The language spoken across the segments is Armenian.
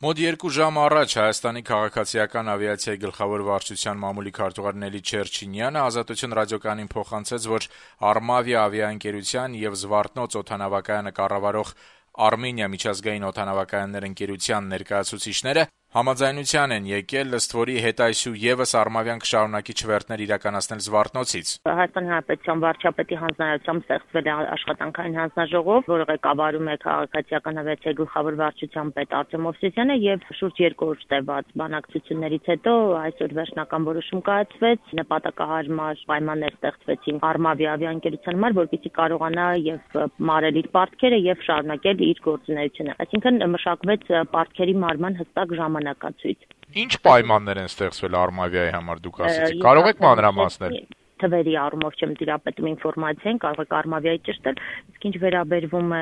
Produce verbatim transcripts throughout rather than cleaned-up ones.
Մոտ երկու ժամ առաջ Հայաստանի քաղաքացիական ավիացիայի գլխավոր վարչության մամուլի քարտուղար Նելի Չերչինյանը «Ազատություն» ռադիոկայանին փոխանցեց, որ «Արմավիա» ավիաընկերության եւ «Զվարթնոց» օդանավակայանը կառավարող «Արմենիա» միջազգային օդանավակայաններ ընկերության ներկայացուցիչները համաձայնության են եկել, ըստ որի հետայսու եւս «Արմավիան» կշարունակի չվերթներ իրականացնել «Զվարթնոցից»։ Հայաստանի Հանրապետության վարչապետի հանձնարարությամբ ստեղծվել է աշխատանքային հանձնաժողով, որը ղեկավարում է քաղաքացիական ավիացիայի գլխավոր վարչության պետ Արտեմ Մովսիսյանը, եւ շուրջ երկու օր տևած բանակցություններից հետո այսօր վերջնական որոշում կայացվեց, նպատակահարմար պայմաններ ստեղծվեցին «Արմավիա» ավիաընկերության համար, որպեսզի կարողանա եւ մարել իր պարտքերը եւ շարունակել իր գործունեությունը։ Այսինքն մշակվեց պարտքերի մարման հստակ ժամանակացույց։ Ինչ պայմաններ են ստեղծվել «Արմավիայի» համար, դուք ասեցիք, կարող եք մանրամասնել։ Թվերի առումով չեմ տիրապետում ինֆորմացիային, կարող եք «Արմավիայի» ճշտել, իսկ ինչ վերաբերվում է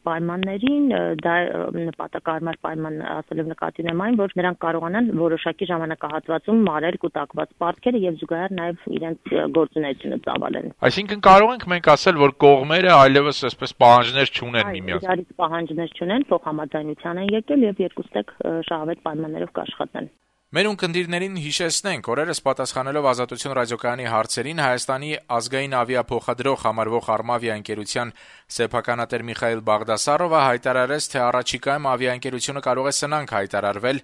պայմաններին, դա նպատակահարմար պայման ասելով նկատի ունեմ այն, որ նրանք կարողանան որոշակի ժամանակահատվածում մարել կուտակված պարտքերը եւ զուգահեռ նաեւ իրենց գործունեությունը ծավալեն։ Այսինքն կարող ենք մենք ասել, որ կողմերը այլևս այսպես պահանջներ չունեն միմյանց։ Իրարից պահանջներ չունեն, փոխհամաձայնության են եկել եւ երկուստեք շահավետ պայմաններով կաշխատեն։ Մեր ունկնդիրներին հիշեցնենք, օրերս պատասխանելով «Ազատություն» ռադիոկայանի հարցերին Հայաստանի ազգային ավիափոխադրող համարվող «Արմավիա» ընկերության սեփականատեր Միխայիլ Բաղդասարովը հայտարարեց, թե առաջիկայում ավիաընկերությունը կարող է սնանկ հայտարարվել,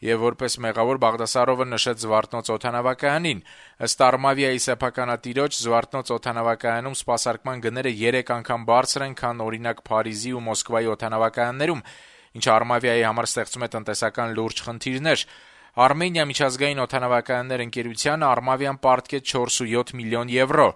եւ որպես մեղավոր Բաղդասարովը նշեց «Զվարթնոց» օդանավակայանին։ Ըստ «Արմավիայի» սեփականատիրոջ, «Զվարթնոց» օդանավակայանում սպասարկման գները երեք անգամ բարձր են, քան օրինակ Փարիզի ու Մոսկվայի օդանավակայաններում, ինչը «Արմավիայի» համար ստեղծում է տնտեսական լուրջ խնդիրներ։ «Արմենիա» միջազգային օդանավակայաններ ընկերությանը «Արմավիան» պարտքեց չորսույոթ միլիոն եվրո։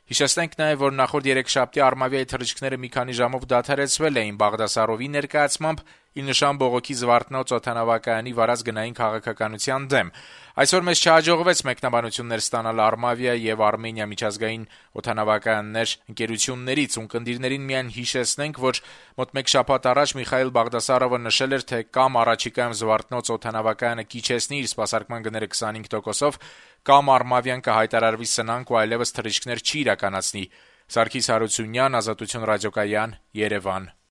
Հիշեցնենք նաեւ, որ նախորդ երեքշաբթի «Արմավիայի» թռիչքները մի քանի ժամով դադարեցվել էին Բաղդասարովի ներկայացմամբ ի նշան բողոքի «Զվարթնոց» օդանավակայանի վարած գնային քաղաքականության դեմ։ Այսօր մեզ չհաջողվեց մեկնաբանություններ ստանալ «Արմավիա» եւ «Արմենիա» միջազգային օդանավակայաններ ընկերություններից։ Ունկնդիրներին միայն հիշեցնենք, որ մոտ մեկ շաբաթ առաջ Միխայիլ Բաղդասարովը նշել էր, թե կամ առաջիկայում «Զվարթնոց» օդանավակայանը կիջեցնի իր սպասարկման գները քսանհինգ տոկոսով, կամ «Արմավիան» կհայտարարվի սնանկ ու այլեւս թռիչքներ չի իրականացնի։ Սարգիս Հարությունյան, «Ազատություն» ռադիոկայան, Երևան։